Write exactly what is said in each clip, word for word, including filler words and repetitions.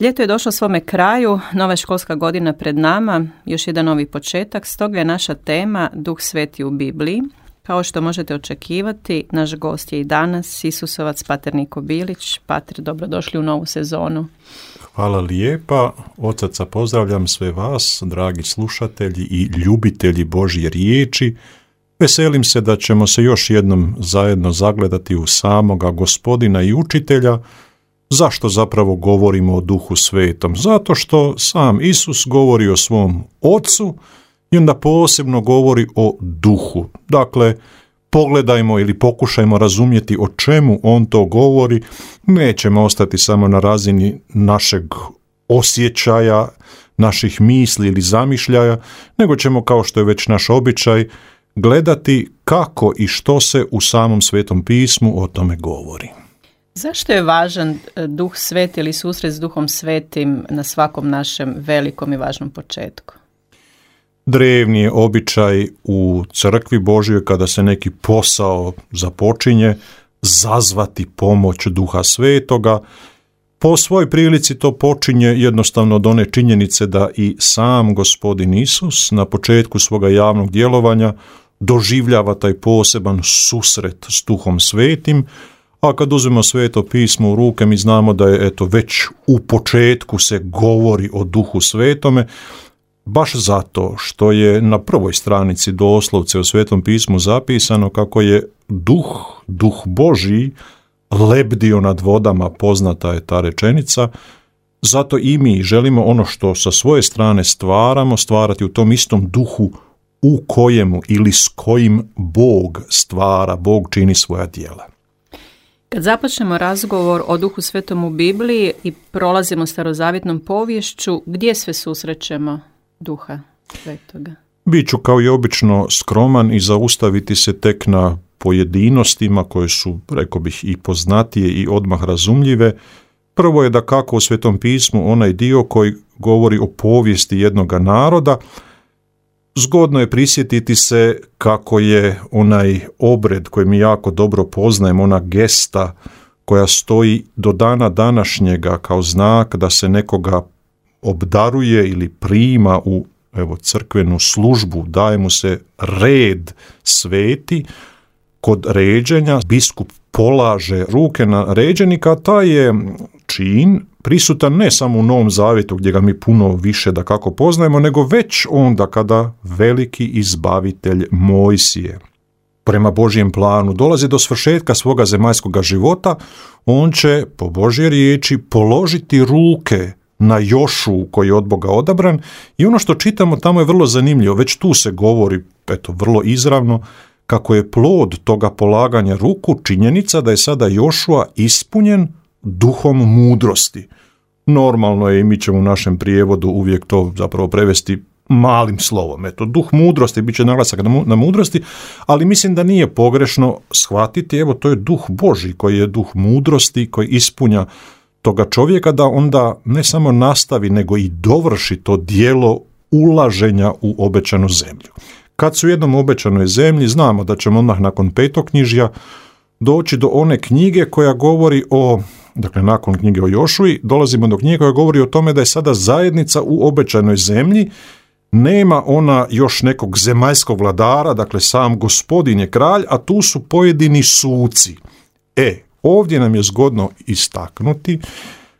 Ljeto je došlo svome kraju, nova je školska godina pred nama, još jedan novi početak, stoga je naša tema Duh Sveti u Bibliji. Kao što možete očekivati, naš gost je i danas Isusovac pater Niko Bilić. Pater, dobrodošli u novu sezonu. Hvala lijepa. Od srca pozdravljam sve vas, dragi slušatelji i ljubitelji Božje riječi. Veselim se da ćemo se još jednom zajedno zagledati u samoga Gospodina i Učitelja. Zašto zapravo govorimo o Duhu Svetom? Zato što sam Isus govori o svom Ocu i onda posebno govori o Duhu. Dakle, pogledajmo ili pokušajmo razumjeti o čemu on to govori. Nećemo ostati samo na razini našeg osjećaja, naših misli ili zamišljaja, nego ćemo, kao što je već naš običaj, gledati kako i što se u samom Svetom pismu o tome govori. Zašto je važan Duh Sveti ili susret s Duhom Svetim na svakom našem velikom i važnom početku? Drevni je običaj u crkvi Božjoj kada se neki posao započinje zazvati pomoć Duha Svetoga. Po svoj prilici to počinje jednostavno od one činjenice da i sam Gospodin Isus na početku svoga javnog djelovanja doživljava taj poseban susret s Duhom Svetim, a kad uzmemo Sveto pismo u ruke mi znamo da je eto već u početku se govori o Duhu Svetome, baš zato što je na prvoj stranici doslovce u Svetom pismu zapisano kako je Duh, Duh Božji lebdio nad vodama, poznata je ta rečenica. Zato i mi želimo ono što sa svoje strane stvaramo, stvarati u tom istom duhu u kojemu ili s kojim Bog stvara, Bog čini svoja djela. Kad započnemo razgovor o Duhu Svetom u Bibliji i prolazimo starozavjetnom poviješću, gdje sve susrećemo Duha Svetoga? Biću kao i obično skroman i zaustaviti se tek na pojedinostima koje su, rekao bih, i poznatije i odmah razumljive. Prvo je da kako u Svetom pismu onaj dio koji govori o povijesti jednoga naroda. Zgodno je prisjetiti se kako je onaj obred koji mi jako dobro poznajemo, ona gesta koja stoji do dana današnjega kao znak da se nekoga obdaruje ili prima u evo, crkvenu službu, daje mu se red sveti. Kod ređenja biskup polaže ruke na ređenika, taj je čin prisutan ne samo u Novom Zavjetu gdje ga mi puno više da kako poznajemo, nego već onda kada veliki izbavitelj Mojsije prema Božjem planu dolazi do svršetka svoga zemaljskoga života, on će po Božje riječi položiti ruke na Jošu koji je od Boga odabran i ono što čitamo tamo je vrlo zanimljivo, već tu se govori eto, vrlo izravno kako je plod toga polaganja ruku činjenica da je sada Jošua ispunjen duhom mudrosti. Normalno je i mi ćemo u našem prijevodu uvijek to zapravo prevesti malim slovom. Eto, duh mudrosti, bit će naglasak na mudrosti, ali mislim da nije pogrešno shvatiti, evo to je duh Božji koji je duh mudrosti, koji ispunja toga čovjeka da onda ne samo nastavi, nego i dovrši to djelo ulaženja u obećanu zemlju. Kad su u jednom obećanoj zemlji, znamo da ćemo odmah nakon petoknjižja doći do one knjige koja govori o, dakle nakon knjige o Jošuji, dolazimo do knjige koja govori o tome da je sada zajednica u obećanoj zemlji, nema ona još nekog zemaljskog vladara, dakle sam Gospodin je kralj, a tu su pojedini suci. E, ovdje nam je zgodno istaknuti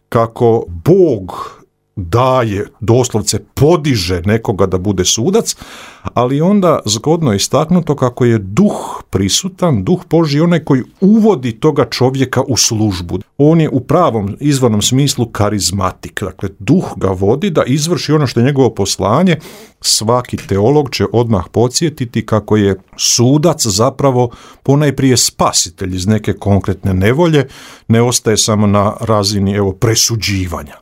kako Bog daje, doslovce podiže nekoga da bude sudac, ali onda zgodno je istaknuto kako je duh prisutan, duh Božji onaj koji uvodi toga čovjeka u službu. On je u pravom izvornom smislu karizmatik, dakle duh ga vodi da izvrši ono što je njegovo poslanje. Svaki teolog će odmah podsjetiti kako je sudac zapravo ponajprije spasitelj iz neke konkretne nevolje, ne ostaje samo na razini evo presuđivanja.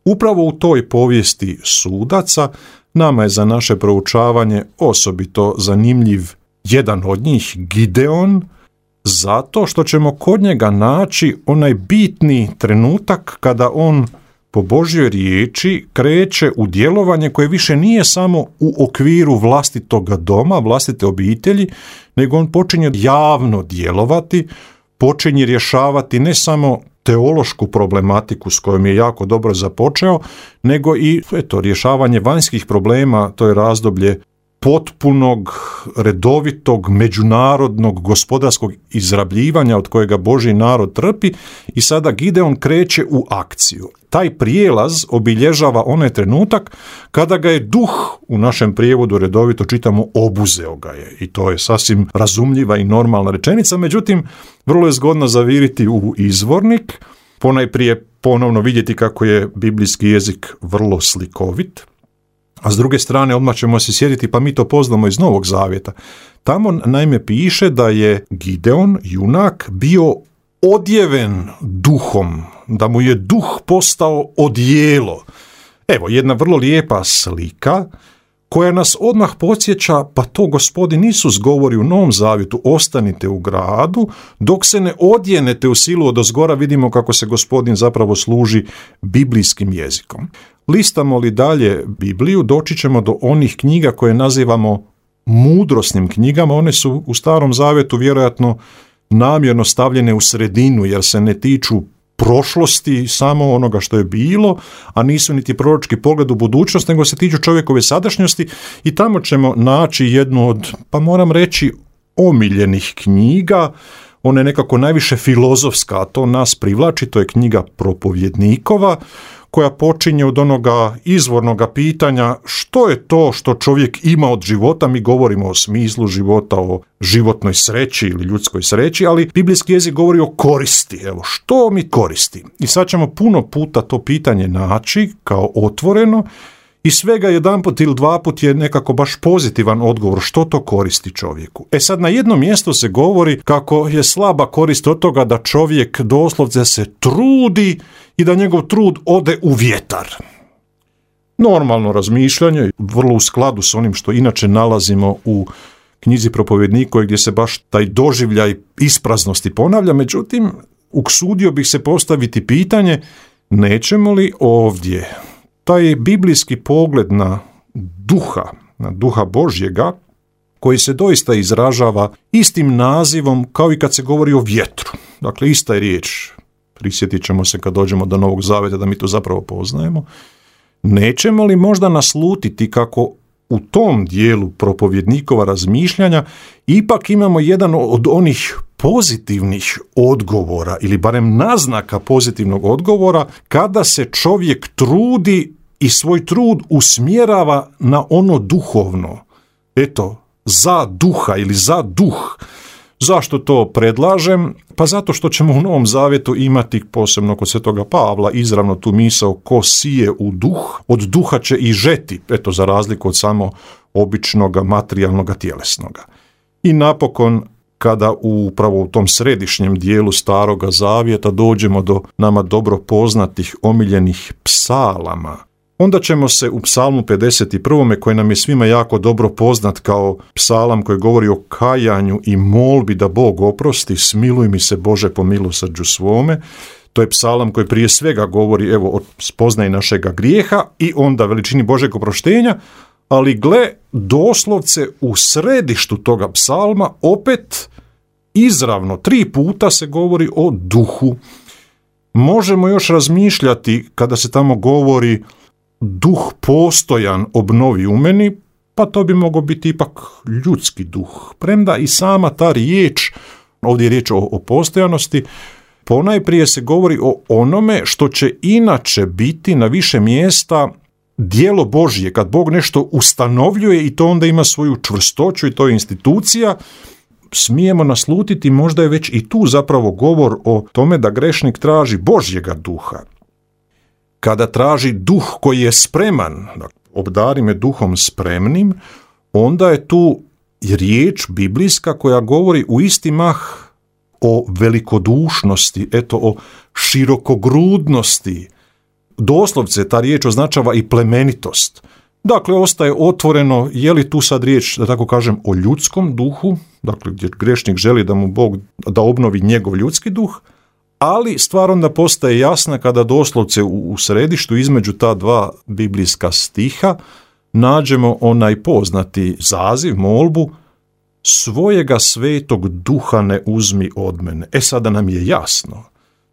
Upravo u toj povijesti sudaca nama je za naše proučavanje osobito zanimljiv jedan od njih, Gideon, zato što ćemo kod njega naći onaj bitni trenutak kada on po Božjoj riječi kreće u djelovanje koje više nije samo u okviru vlastitoga doma, vlastite obitelji, nego on počinje javno djelovati, počinje rješavati ne samo teološku problematiku s kojom je jako dobro započeo, nego i eto, rješavanje vanjskih problema. To je razdoblje potpunog, redovitog, međunarodnog, gospodarskog izrabljivanja od kojega Božji narod trpi i sada Gideon kreće u akciju. Taj prijelaz obilježava onaj trenutak kada ga je duh, u našem prijevodu redovito čitamo, obuzeo ga je. I to je sasvim razumljiva i normalna rečenica, međutim, vrlo je zgodno zaviriti u izvornik, ponajprije ponovno vidjeti kako je biblijski jezik vrlo slikovit, a s druge strane odmah ćemo se sjetiti, pa mi to poznamo iz Novog Zavjeta. Tamo naime piše da je Gideon, junak, bio odjeven duhom, da mu je duh postao odijelo. Evo, jedna vrlo lijepa slika koja nas odmah podsjeća, pa to Gospodin Isus govori u Novom Zavjetu, ostanite u gradu, dok se ne odjenete u silu odozgora. Vidimo kako se Gospodin zapravo služi biblijskim jezikom. Listamo li dalje Bibliju, doći ćemo do onih knjiga koje nazivamo mudrosnim knjigama. One su u Starom Zavjetu vjerojatno namjerno stavljene u sredinu, jer se ne tiču prošlosti, samo onoga što je bilo, a nisu niti proročki pogled u budućnost, nego se tiču čovjekove sadašnjosti i tamo ćemo naći jednu od, pa moram reći, omiljenih knjiga. Ona je nekako najviše filozofska, a to nas privlači, to je knjiga Propovjednikova, koja počinje od onoga izvornoga pitanja što je to što čovjek ima od života. Mi govorimo o smislu života, o životnoj sreći ili ljudskoj sreći, ali biblijski jezik govori o koristi. Evo, što mi koristi? I sad ćemo puno puta to pitanje naći kao otvoreno i svega jedanput ili dva put je nekako baš pozitivan odgovor što to koristi čovjeku. E sad, na jednom mjestu se govori kako je slaba korist od toga da čovjek doslovce se trudi i da njegov trud ode u vjetar. Normalno razmišljanje, vrlo u skladu s onim što inače nalazimo u knjizi Propovjednikova, gdje se baš taj doživljaj ispraznosti ponavlja, međutim, uksudio bih se postaviti pitanje, nećemo li ovdje taj biblijski pogled na duha, na duha Božjega, koji se doista izražava istim nazivom kao i kad se govori o vjetru. Dakle, ista je riječ. Prisjetit ćemo se kad dođemo do Novog Zavjeta da mi to zapravo poznajemo. Nećemo li možda naslutiti kako u tom dijelu Propovjednikova razmišljanja ipak imamo jedan od onih pozitivnih odgovora ili barem naznaka pozitivnog odgovora kada se čovjek trudi i svoj trud usmjerava na ono duhovno. Eto, za duha ili za duh. Zašto to predlažem? Pa zato što ćemo u Novom Zavjetu imati, posebno kod Svetoga Pavla, izravno tu misao ko sije u duh, od duha će i žeti, eto, za razliku od samo običnog materijalnog tjelesnoga. I napokon, kada upravo u tom središnjem dijelu Staroga Zavjeta dođemo do nama dobro poznatih omiljenih psalama, onda ćemo se u psalmu pedeset prvom koji nam je svima jako dobro poznat kao psalam koji govori o kajanju i molbi da Bog oprosti, smiluj mi se Bože po milosrđu svome. To je psalam koji prije svega govori evo o spoznaji našega grijeha i onda veličini Božeg oproštenja, ali gle, doslovce u središtu toga psalma opet izravno tri puta se govori o duhu. Možemo još razmišljati kada se tamo govori duh postojan obnovi u meni, pa to bi mogao biti ipak ljudski duh. Premda i sama ta riječ, ovdje je riječ o, o postojanosti, ponajprije se govori o onome što će inače biti na više mjesta djelo Božje, kad Bog nešto ustanovljuje i to onda ima svoju čvrstoću i to je institucija, smijemo naslutiti, možda je već i tu zapravo govor o tome da grešnik traži Božjega duha. Kada traži duh koji je spreman, obdari me duhom spremnim, onda je tu riječ biblijska koja govori u isti mah o velikodušnosti, eto o širokogrudnosti. Doslovce ta riječ označava i plemenitost. Dakle, ostaje otvoreno je li tu sad riječ, da tako kažem, o ljudskom duhu, dakle gdje grešnik želi da mu Bog da obnovi njegov ljudski duh, ali stvar onda postaje jasna kada doslovce u središtu između ta dva biblijska stiha nađemo onaj poznati zaziv, molbu, svojega svetog duha ne uzmi od mene. E sada nam je jasno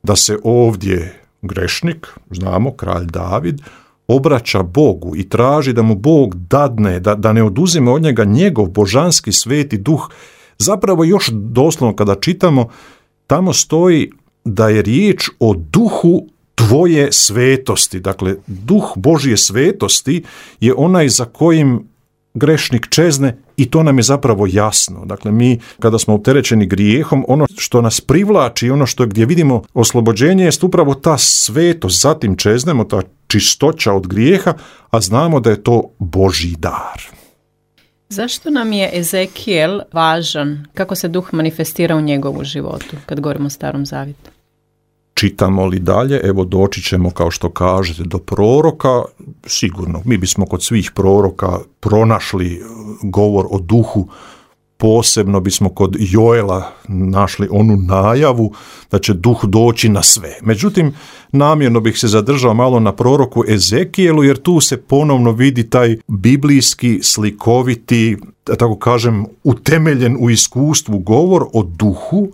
da se ovdje grešnik, znamo, kralj David, obraća Bogu i traži da mu Bog dadne, da, da ne oduzime od njega njegov božanski sveti duh. Zapravo još doslovno kada čitamo, tamo stoji da je riječ o duhu tvoje svetosti. Dakle, duh Božje svetosti je onaj za kojim grešnik čezne i to nam je zapravo jasno. Dakle, mi kada smo opterećeni grijehom, ono što nas privlači, ono što gdje vidimo oslobođenje jest upravo ta svetost, zatim čeznemo, ta čistoća od grijeha, a znamo da je to Božji dar. Zašto nam je Ezekijel važan? Kako se duh manifestira u njegovu životu, kad govorimo o Starom Zavjetu? Čitamo li dalje, evo doći ćemo, kao što kažete, do proroka. Sigurno, mi bismo kod svih proroka pronašli govor o duhu, posebno bismo kod Joela našli onu najavu da će duh doći na sve. Međutim, namjerno bih se zadržao malo na proroku Ezekijelu, jer tu se ponovno vidi taj biblijski, slikoviti, da tako kažem, utemeljen u iskustvu govor o duhu,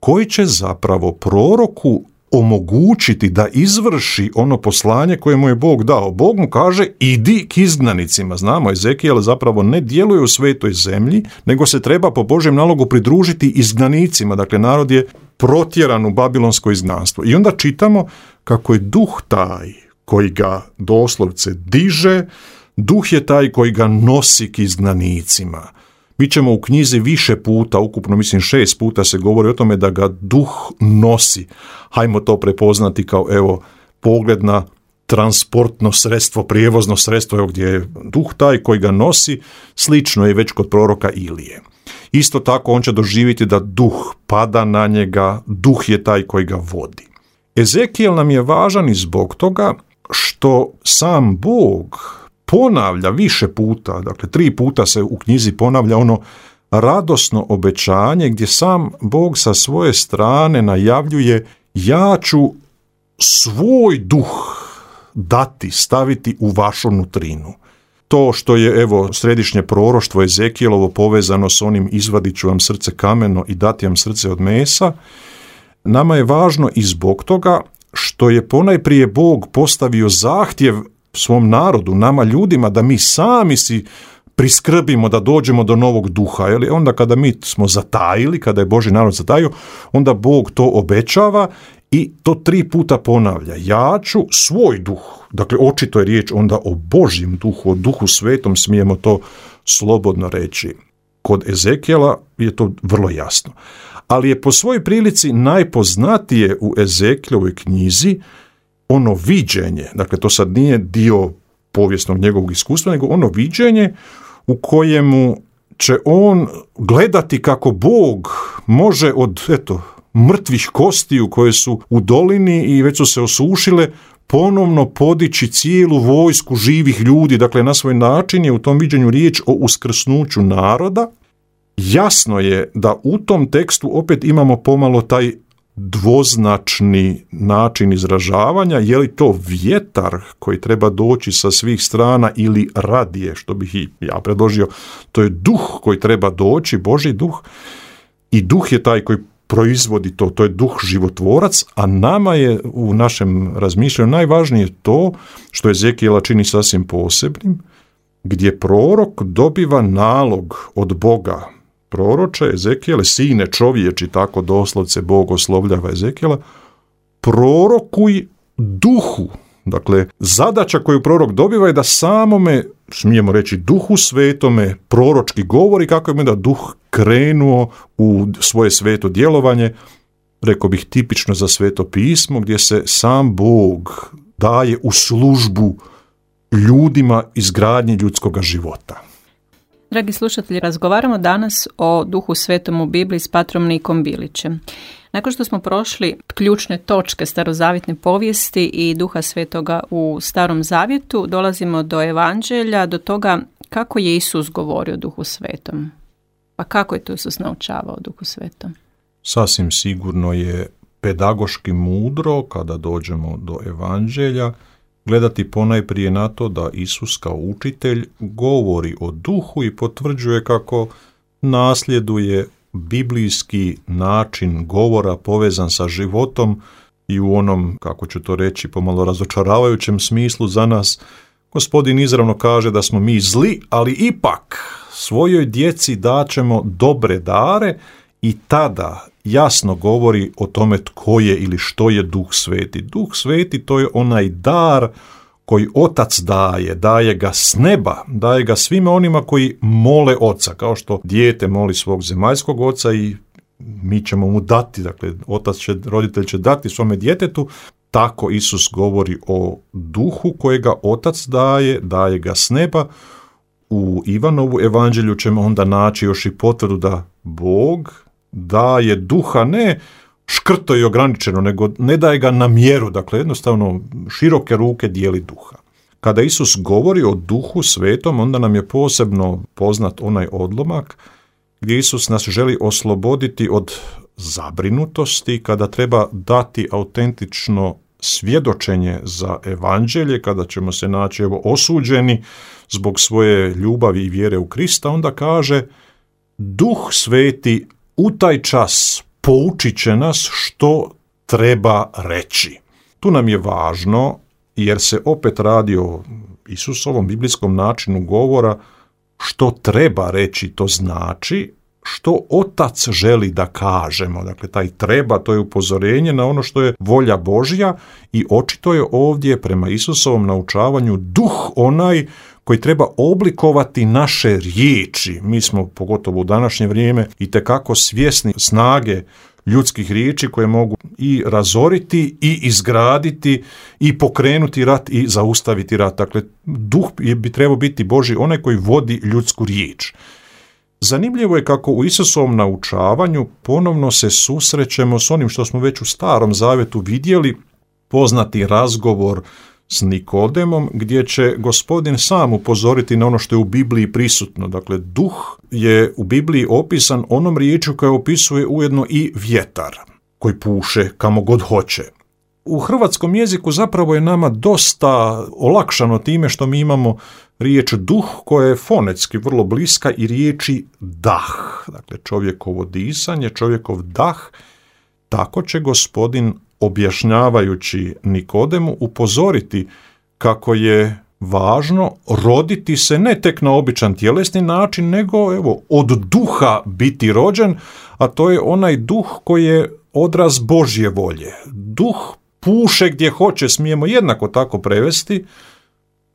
koji će zapravo proroku omogućiti da izvrši ono poslanje koje mu je Bog dao. Bog mu kaže, idi k izgnanicima. Znamo, Ezekijel zapravo ne djeluje u svetoj zemlji, nego se treba po Božjem nalogu pridružiti izgnanicima. Dakle, narod je protjeran u babilonsko izgnanstvo. I onda čitamo kako je duh taj koji ga doslovce diže, duh je taj koji ga nosi k izgnanicima. Mi ćemo u knjizi više puta, ukupno mislim šest puta se govori o tome da ga duh nosi. Hajmo to prepoznati kao, evo, pogled na transportno sredstvo, prijevozno sredstvo, evo gdje je duh taj koji ga nosi, slično je već kod proroka Ilije. Isto tako on će doživjeti da duh pada na njega, duh je taj koji ga vodi. Ezekijel nam je važan i zbog toga što sam Bog ponavlja više puta, dakle tri puta se u knjizi ponavlja ono radosno obećanje gdje sam Bog sa svoje strane najavljuje, ja ću svoj duh dati, staviti u vašu nutrinu. To što je, evo, središnje proroštvo Ezekijelovo povezano s onim izvadit ću vam srce kameno i dati vam srce od mesa, nama je važno i zbog toga što je ponajprije Bog postavio zahtjev svom narodu, nama ljudima, da mi sami si priskrbimo da dođemo do novog duha. Jeli? Onda kada mi smo zatajili, kada je Božji narod zatajio, onda Bog to obećava i to tri puta ponavlja. Ja ću svoj duh, dakle očito je riječ onda o Božjem duhu, o duhu svetom, smijemo to slobodno reći. Kod Ezekijela je to vrlo jasno. Ali je po svojoj prilici najpoznatije u Ezekijelovoj knjizi ono viđenje, dakle to sad nije dio povijesnog njegovog iskustva, nego ono viđenje u kojemu će on gledati kako Bog može od, eto, mrtvih kostiju koje su u dolini i već su se osušile, ponovno podići cijelu vojsku živih ljudi. Dakle, na svoj način je u tom viđenju riječ o uskrsnuću naroda. Jasno je da u tom tekstu opet imamo pomalo taj dvoznačni način izražavanja, je li to vjetar koji treba doći sa svih strana ili radije, što bih i ja predložio, to je duh koji treba doći, Božji duh, i duh je taj koji proizvodi to, to je duh životvorac, a nama je u našem razmišljanju najvažnije to što Ezekijela čini sasvim posebnim, gdje prorok dobiva nalog od Boga. Proroče, Ezekijele, sine čovječi, tako doslovce Bog oslovljava Ezekijela, prorokuj duhu. Dakle, zadaća koju prorok dobiva je da samome, smijemo reći, duhu svetome proročki govori kako je da duh krenuo u svoje sveto djelovanje, rekao bih tipično za sveto pismo, gdje se sam Bog daje u službu ljudima izgradnji ljudskoga života. Dragi slušatelji, razgovaramo danas o Duhu Svetom u Bibliji s patrom Nikom Bilićem. Nakon što smo prošli ključne točke starozavjetne povijesti i Duha Svetoga u Starom Zavjetu, dolazimo do Evanđelja, do toga kako je Isus govorio o Duhu Svetom. Pa kako je to Isus naučavao o Duhu Svetom? Sasvim sigurno je pedagoški mudro, kada dođemo do Evanđelja, gledati ponajprije na to da Isus kao učitelj govori o duhu i potvrđuje kako nasljeduje biblijski način govora povezan sa životom i u onom, kako ću to reći, pomalo razočaravajućem smislu za nas, Gospodin izravno kaže da smo mi zli, ali ipak svojoj djeci daćemo dobre dare i tada jasno govori o tome tko je ili što je Duh Sveti. Duh Sveti to je onaj dar koji Otac daje, daje ga s neba, daje ga svima onima koji mole Oca, kao što dijete moli svog zemaljskog oca i mi ćemo mu dati, dakle otac će, roditelj će dati svome djetetu. Tako Isus govori o duhu kojega Otac daje, daje ga s neba. U Ivanovu evanđelju ćemo onda naći još i potvrdu da Bog daje duha ne škrto i ograničeno, nego ne daje ga na mjeru, dakle jednostavno široke ruke dijeli duha. Kada Isus govori o Duhu Svetom, onda nam je posebno poznat onaj odlomak gdje Isus nas želi osloboditi od zabrinutosti, kada treba dati autentično svjedočenje za evanđelje, kada ćemo se naći evo, osuđeni zbog svoje ljubavi i vjere u Krista, onda kaže Duh Sveti u taj čas poučit će nas što treba reći. Tu nam je važno, jer se opet radi o Isusovom biblijskom načinu govora, što treba reći, to znači što Otac želi da kažemo. Dakle, taj treba, to je upozorenje na ono što je volja Božja i očito je ovdje prema Isusovom naučavanju duh onaj koji treba oblikovati naše riječi. Mi smo, pogotovo u današnje vrijeme, itekako svjesni snage ljudskih riječi koje mogu i razoriti i izgraditi i pokrenuti rat i zaustaviti rat. Dakle, duh bi trebao biti Božji, onaj koji vodi ljudsku riječ. Zanimljivo je kako u Isusovom naučavanju ponovno se susrećemo s onim što smo već u Starom Zavjetu vidjeli, poznati razgovor s Nikodemom, gdje će Gospodin sam upozoriti na ono što je u Bibliji prisutno. Dakle, duh je u Bibliji opisan onom riječju koja opisuje ujedno i vjetar, koji puše kamo god hoće. U hrvatskom jeziku zapravo je nama dosta olakšano time što mi imamo riječ duh koja je fonetski vrlo bliska i riječi dah. Dakle, čovjekovo disanje, čovjekov dah. Tako će Gospodin, objašnjavajući Nikodemu, upozoriti kako je važno roditi se ne tek na običan tjelesni način, nego evo, od duha biti rođen, a to je onaj duh koji je odraz Božje volje. Duh puše gdje hoće, smijemo jednako tako prevesti.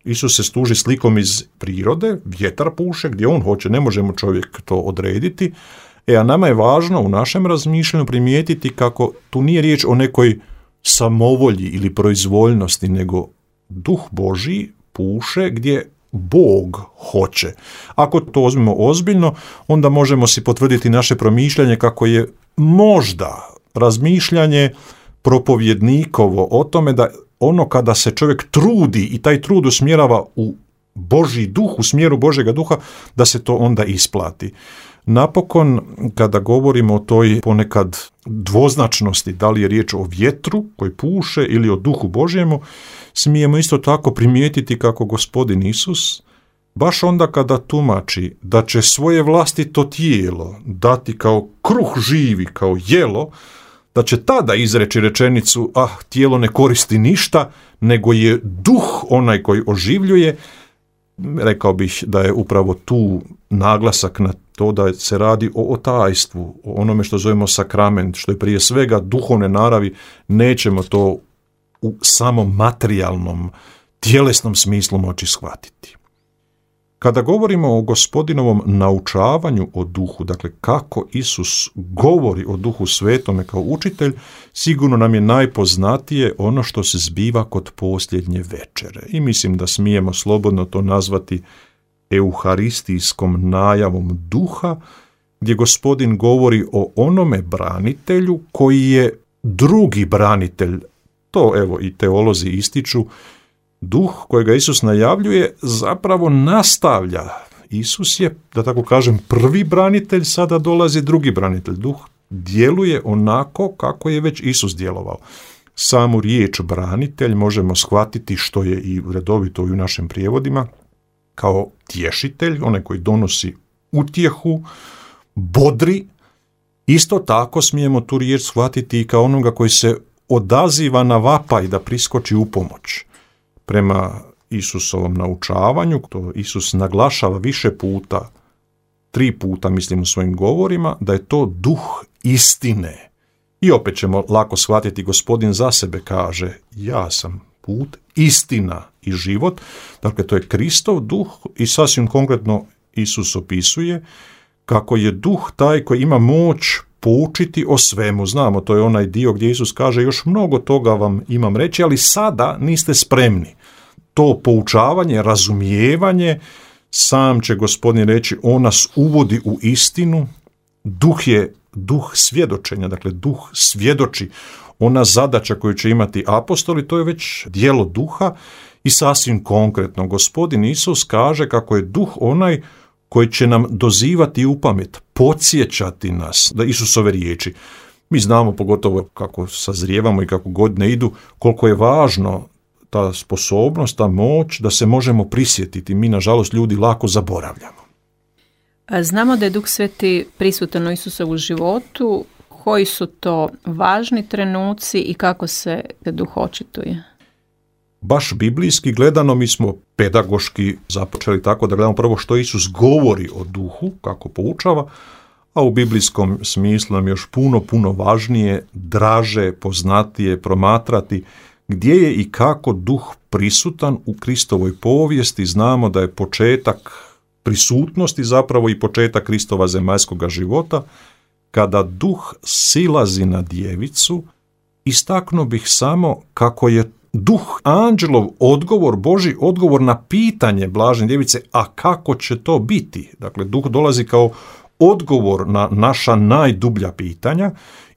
Isus se služi slikom iz prirode, vjetar puše gdje on hoće, ne možemo čovjek to odrediti. E, a nama je važno u našem razmišljanju primijetiti kako tu nije riječ o nekoj samovolji ili proizvoljnosti, nego duh Božji puše gdje Bog hoće. Ako to uzmemo ozbiljno, onda možemo si potvrditi naše promišljanje kako je možda razmišljanje propovjednikovo o tome da ono kada se čovjek trudi i taj trud usmjerava u Božji duh, u smjeru Božjega duha, da se to onda isplati. Napokon, kada govorimo o toj ponekad dvoznačnosti, da li je riječ o vjetru koji puše ili o duhu Božjemu, smijemo isto tako primijetiti kako Gospodin Isus, baš onda kada tumači da će svoje vlastito tijelo dati kao kruh živi, kao jelo, da će tada izreći rečenicu, ah, tijelo ne koristi ništa, nego je duh onaj koji oživljuje. Rekao bih da je upravo tu naglasak na to da se radi o otajstvu, o onome što zovemo sakrament, što je prije svega duhovne naravi. Nećemo to u samom materijalnom, tjelesnom smislu moći shvatiti. Kada govorimo o Gospodinovom naučavanju o duhu, dakle kako Isus govori o Duhu Svetome kao učitelj, sigurno nam je najpoznatije ono što se zbiva kod posljednje večere. I mislim da smijemo slobodno to nazvati euharistijskom najavom duha, gdje Gospodin govori o onome branitelju koji je drugi branitelj. To evo i teolozi ističu. Duh kojega Isus najavljuje zapravo nastavlja. Isus je, da tako kažem, prvi branitelj, sada dolazi drugi branitelj. Duh djeluje onako kako je već Isus djelovao. Samu riječ branitelj možemo shvatiti, što je i redovito i u našim prijevodima, kao tješitelj, onaj koji donosi utjehu, bodri. Isto tako smijemo tu riječ shvatiti i kao onoga koji se odaziva na vapaj da priskoči u pomoć. Prema Isusovom naučavanju, to Isus naglašava više puta, tri puta mislim u svojim govorima, da je to duh istine. I opet ćemo lako shvatiti, Gospodin za sebe kaže, ja sam put, istina i život. Dakle, to je Kristov duh i sasvim konkretno Isus opisuje kako je duh taj koji ima moć poučiti o svemu. Znamo, to je onaj dio gdje Isus kaže, još mnogo toga vam imam reći, ali sada niste spremni. To poučavanje, razumijevanje, sam će Gospodin reći, on nas uvodi u istinu. Duh je duh svjedočenja, dakle duh svjedoči. Ona zadaća koju će imati apostoli, to je već djelo duha i sasvim konkretno. Gospodin Isus kaže kako je duh onaj koji će nam dozivati u pamet, podsjećati nas da Isusove riječi. Mi znamo, pogotovo kako sazrijevamo i kako godine idu, koliko je važno ta sposobnost, ta moć da se možemo prisjetiti. Mi, nažalost, ljudi lako zaboravljamo. Znamo da je Duh Sveti prisutan u Isusovu životu. Koji su to važni trenuci i kako se duh očituje? Baš biblijski gledano, mi smo pedagoški započeli tako da gledamo prvo što Isus govori o duhu, kako poučava, a u biblijskom smislu nam još puno, puno važnije, draže, poznatije promatrati gdje je i kako duh prisutan u Kristovoj povijesti. Znamo da je početak prisutnosti zapravo i početak Kristova zemaljskoga života, kada duh silazi na djevicu. Istaknuo bih samo kako je duh anđelov odgovor, Božji odgovor na pitanje blažene djevice, a kako će to biti? Dakle, duh dolazi kao odgovor na naša najdublja pitanja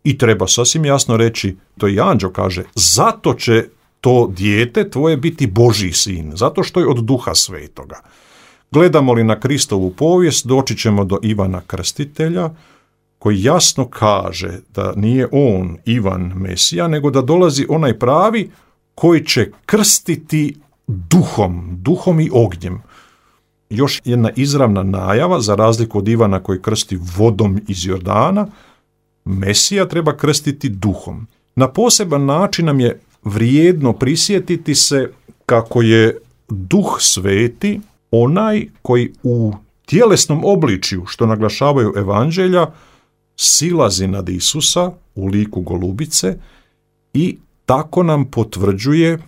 i treba sasvim jasno reći, to i anđeo kaže, zato će to dijete tvoje biti Božji sin, zato što je od Duha Svetoga. Gledamo li na Kristovu povijest, doći ćemo do Ivana Krstitelja, koji jasno kaže da nije on Ivan Mesija, nego da dolazi onaj pravi koji će krstiti duhom, duhom i ognjem. Još jedna izravna najava, za razliku od Ivana koji krsti vodom iz Jordana, Mesija treba krstiti duhom. Na poseban način nam je vrijedno prisjetiti se kako je Duh Sveti onaj koji u tjelesnom obličju, što naglašavaju evanđelja, silazi nad Isusa u liku golubice i tako nam potvrđuje,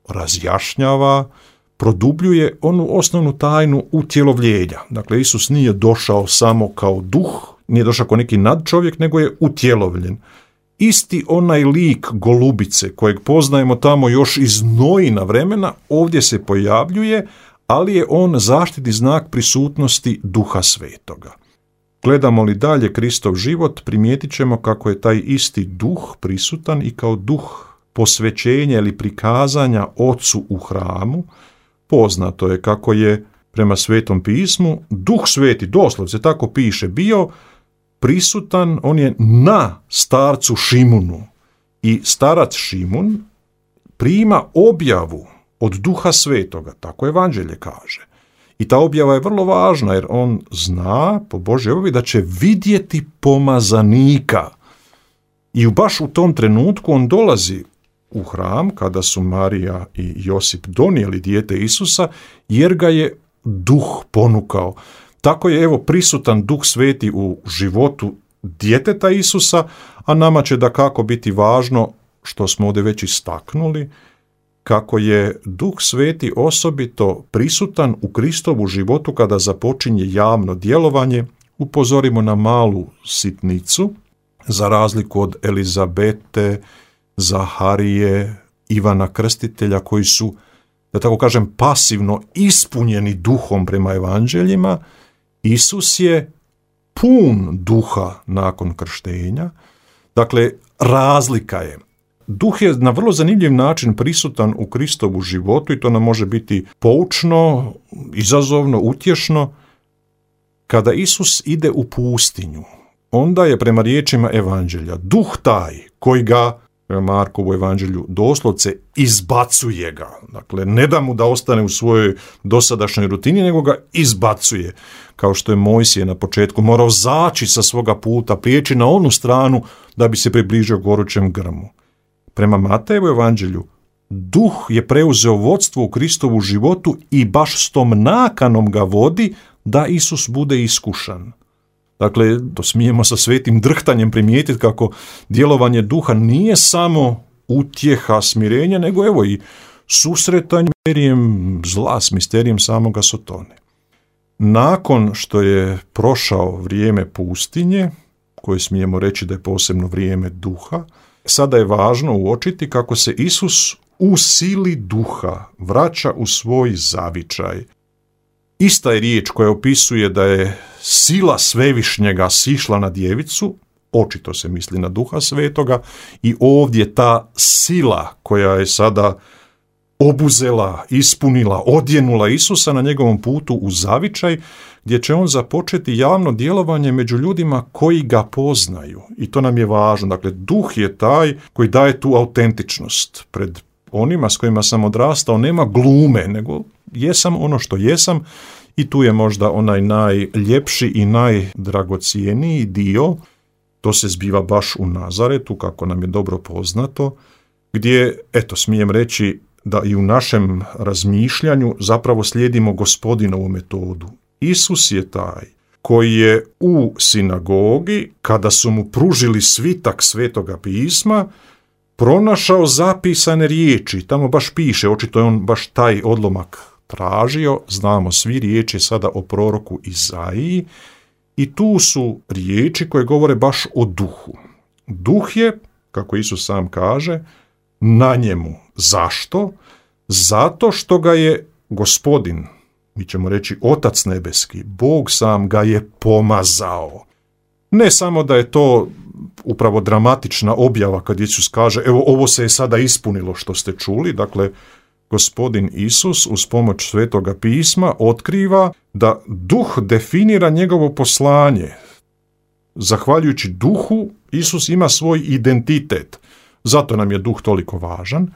razjašnjava, produbljuje onu osnovnu tajnu utjelovljenja. Dakle, Isus nije došao samo kao duh, nije došao kao neki nadčovjek, nego je utjelovljen. Isti onaj lik golubice kojeg poznajemo tamo još iz Noina vremena, ovdje se pojavljuje, ali je on zaštitni znak prisutnosti Duha Svetoga. Gledamo li dalje Kristov život, primijetit ćemo kako je taj isti duh prisutan i kao duh posvećenja ili prikazanja Ocu u hramu. Poznato je kako je prema Svetom pismu Duh Sveti, doslovce tako piše, bio prisutan, on je na starcu Šimunu i starac Šimun prima objavu od Duha Svetoga, tako evanđelje kaže. I ta objava je vrlo važna jer on zna po Božjoj objavi da će vidjeti pomazanika. I baš u tom trenutku on dolazi u hram kada su Marija i Josip donijeli dijete Isusa jer ga je duh ponukao. Tako je evo prisutan Duh Sveti u životu djeteta Isusa, a nama će dakako biti važno, što smo ovdje već istaknuli, kako je Duh Sveti osobito prisutan u Kristovu životu kada započinje javno djelovanje. Upozorimo na malu sitnicu, za razliku od Elizabete, Zaharije, Ivana Krstitelja, koji su, da tako kažem, pasivno ispunjeni duhom prema evanđeljima, Isus je pun duha nakon krštenja. Dakle, razlika je. Duh je na vrlo zanimljiv način prisutan u Kristovu životu i to nam može biti poučno, izazovno, utješno. Kada Isus ide u pustinju, onda je prema riječima evanđelja duh taj koji ga, prema Markovu evanđelju, doslovce izbacuje ga. Dakle, ne da mu da ostane u svojoj dosadašnjoj rutini, nego ga izbacuje. Kao što je Mojsije na početku morao zaći sa svoga puta, prijeći na onu stranu da bi se približio gorućem grmu. Prema Matejevu evanđelju, duh je preuzeo vodstvo u Kristovu životu i baš s tom nakanom ga vodi da Isus bude iskušan. Dakle, to smijemo sa svetim drhtanjem primijetiti kako djelovanje duha nije samo utjeha, smirenja, nego evo i susretanje s misterijem zla, s misterijem samoga Sotone. Nakon što je prošao vrijeme pustinje, koje smijemo reći da je posebno vrijeme duha, sada je važno uočiti kako se Isus u sili duha vraća u svoj zavičaj. Ista je riječ koja opisuje da je sila svevišnjega sišla na djevicu, očito se misli na Duha Svetoga, i ovdje ta sila koja je sada obuzela, ispunila, odjenula Isusa na njegovom putu u zavičaj, gdje će on započeti javno djelovanje među ljudima koji ga poznaju. I to nam je važno. Dakle, duh je taj koji daje tu autentičnost. Pred onima s kojima sam odrastao nema glume, nego jesam ono što jesam, i tu je možda onaj najljepši i najdragocijeniji dio. To se zbiva baš u Nazaretu, kako nam je dobro poznato, gdje, eto, smijem reći da i u našem razmišljanju zapravo slijedimo Gospodinovu metodu. Isus je taj koji je u sinagogi, kada su mu pružili svitak Svetoga pisma, pronašao zapisane riječi. Tamo baš piše, očito je on baš taj odlomak tražio, znamo svi, riječi sada o proroku Izaiji, i tu su riječi koje govore baš o duhu. Duh je, kako Isus sam kaže, na njemu. Zašto? Zato što ga je Gospodin, mi ćemo reći Otac nebeski, Bog sam ga je pomazao. Ne samo da je to upravo dramatična objava kad Isus kaže, evo ovo se je sada ispunilo što ste čuli, dakle Gospodin Isus uz pomoć Svetoga pisma otkriva da duh definira njegovo poslanje. Zahvaljujući duhu, Isus ima svoj identitet. Zato nam je duh toliko važan.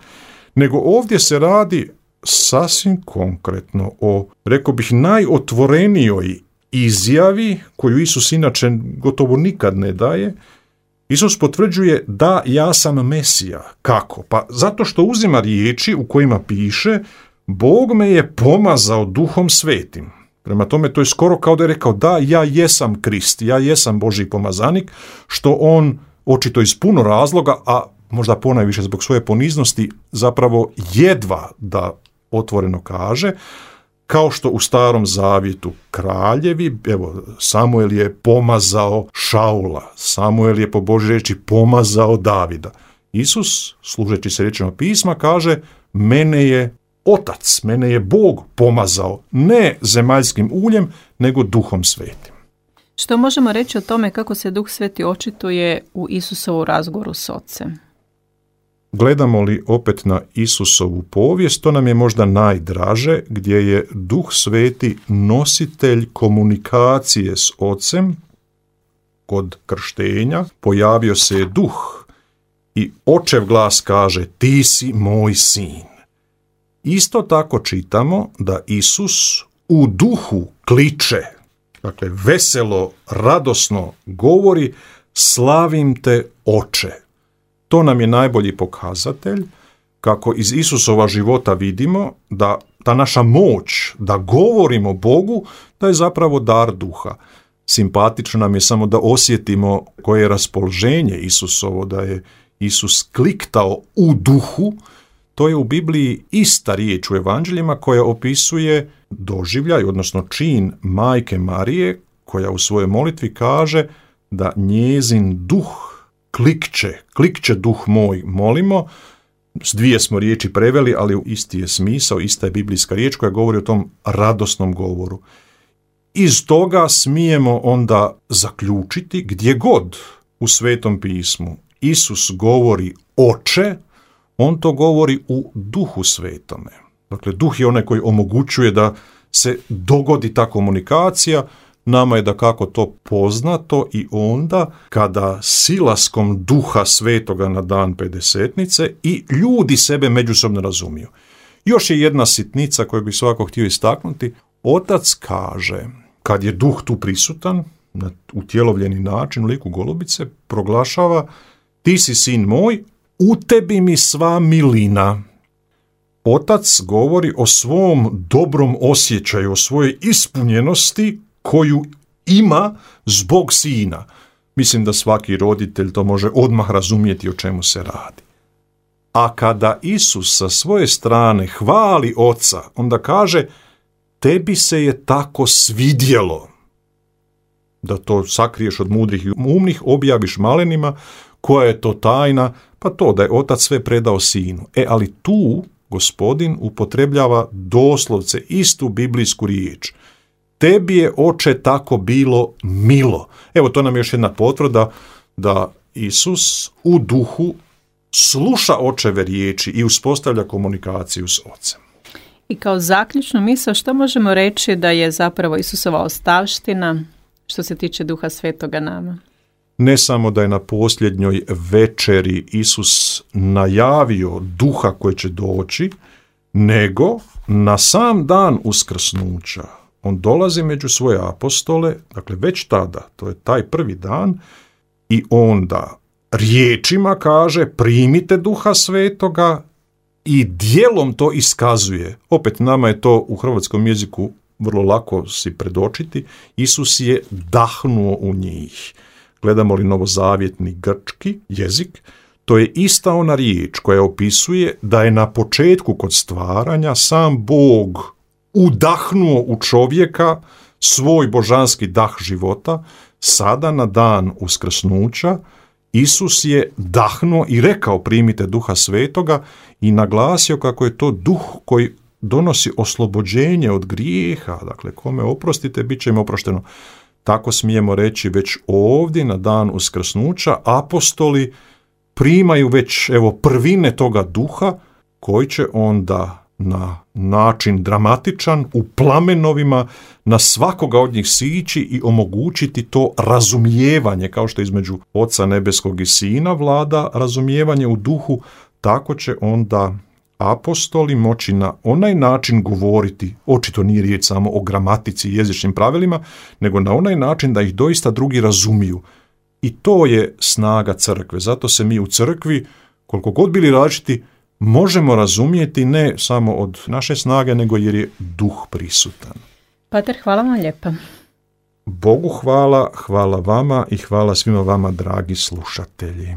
Nego ovdje se radi sasvim konkretno o, rekao bih, najotvorenijoj izjavi koju Isus inače gotovo nikad ne daje. Isus potvrđuje da ja sam Mesija. Kako? Pa zato što uzima riječi u kojima piše Bog me je pomazao Duhom Svetim. Prema tome to je skoro kao da je rekao da ja jesam Krist, ja jesam Božji pomazanik, što on očito iz puno razloga, a možda ponajviše zbog svoje poniznosti, zapravo jedva da otvoreno kaže, kao što u Starom Zavjetu kraljevi, evo, Samuel je pomazao Šaula, Samuel je po Božjoj riječi pomazao Davida. Isus, služeći se riječima pisma, kaže, mene je Otac, mene je Bog pomazao, ne zemaljskim uljem, nego Duhom Svetim. Što možemo reći o tome kako se Duh Sveti očituje u Isusovu razgovoru s Ocem? Gledamo li opet na Isusovu povijest, to nam je možda najdraže, gdje je Duh Sveti nositelj komunikacije s Ocem. Kod krštenja pojavio se je Duh i Očev glas kaže, ti si moj sin. Isto tako čitamo da Isus u duhu kliče, dakle veselo, radosno govori, slavim te Oče. To nam je najbolji pokazatelj kako iz Isusova života vidimo da ta naša moć da govorimo Bogu, da je zapravo dar duha. Simpatično nam je samo da osjetimo koje je raspoloženje Isusovo, da je Isus kliktao u duhu. To je u Bibliji ista riječ u evanđeljima koja opisuje doživljaj, odnosno čin majke Marije, koja u svojoj molitvi kaže da njezin duh klikće, klikće duh moj, molimo. S dvije smo riječi preveli, ali isti je smisao, ista je biblijska riječ koja govori o tom radosnom govoru. Iz toga smijemo onda zaključiti gdje god u Svetom pismu Isus govori Oče, on to govori u Duhu Svetome. Dakle, Duh je onaj koji omogućuje da se dogodi ta komunikacija. Nama je dakako to poznato i onda kada silaskom Duha Svetoga na dan Pedesetnice i ljudi sebe međusobno razumiju. Još je jedna sitnica koju bih svakako htio istaknuti. Otac kaže, kad je Duh tu prisutan, na utjelovljeni način u liku golubice, proglašava ti si sin moj, u tebi mi sva milina. Otac govori o svom dobrom osjećaju, o svojoj ispunjenosti koju ima zbog sina. Mislim da svaki roditelj to može odmah razumjeti o čemu se radi. A kada Isus sa svoje strane hvali oca, onda kaže, tebi se je tako svidjelo. Da to sakriješ od mudrih i umnih, objaviš malenima, koja je to tajna, pa to da je otac sve predao sinu. E, ali tu Gospodin upotrebljava doslovce istu biblijsku riječ. Tebi je, oče, tako bilo milo. Evo, to nam je još jedna potvrda da Isus u duhu sluša očeve riječi i uspostavlja komunikaciju s ocem. I kao zaključnu misao, što možemo reći da je zapravo Isusova ostavština što se tiče Duha Svetoga nama? Ne samo da je na posljednjoj večeri Isus najavio Duha koji će doći, nego na sam dan uskrsnuća on dolazi među svoje apostole, dakle već tada, to je taj prvi dan, i onda riječima kaže primite Duha Svetoga i djelom to iskazuje. Opet nama je to u hrvatskom jeziku vrlo lako si predočiti. Isus je dahnuo u njih. Gledamo li novozavjetni grčki jezik, to je ista ona riječ koja opisuje da je na početku kod stvaranja sam Bog udahnuo u čovjeka svoj božanski dah života. Sada na dan uskrsnuća Isus je dahnuo i rekao primite Duha Svetoga i naglasio kako je to duh koji donosi oslobođenje od grijeha. Dakle, kome oprostite, bit će im oprošteno. Tako smijemo reći već ovdje na dan uskrsnuća apostoli primaju već evo prvine toga duha koji će onda na način dramatičan u plamenovima na svakoga od njih sići i omogućiti to razumijevanje, kao što između Oca nebeskog i Sina vlada razumijevanje u duhu, tako će onda apostoli moći na onaj način govoriti, očito nije riječ samo o gramatici i jezičnim pravilima, nego na onaj način da ih doista drugi razumiju. I to je snaga crkve. Zato se mi u crkvi, koliko god bili različiti, možemo razumjeti ne samo od naše snage, nego jer je duh prisutan. Pater, hvala vam lijepa. Bogu hvala, hvala vama i hvala svima vama, dragi slušatelji.